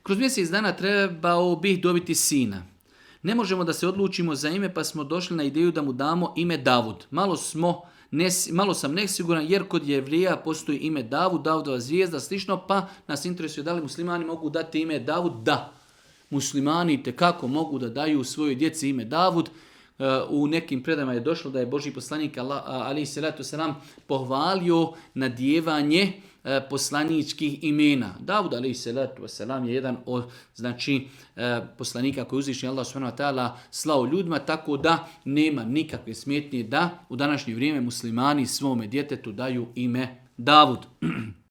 Kroz mjesec dana trebao bih dobiti sina. Ne možemo da se odlučimo za ime, pa smo došli na ideju da mu damo ime Davud. Malo sam nesiguran jer kod Jevrija postoji ime Davud, Davudova zvijezda, slično, pa nas interesuje da li muslimani mogu dati ime Davud? Da. Muslimani tekako mogu da daju svojoj djeci ime Davud. U nekim predama je došlo da je Božji poslanik alejhi selatu selam pohvalio nadjevanje poslaničkih imena. Davud alejhi selatu selam je jedan od poslanika koji uzvišeni Allah subhanahu wa ta'ala slao ljudima, tako da nema nikakve smetnje da u današnje vrijeme muslimani svome djetetu daju ime Davud.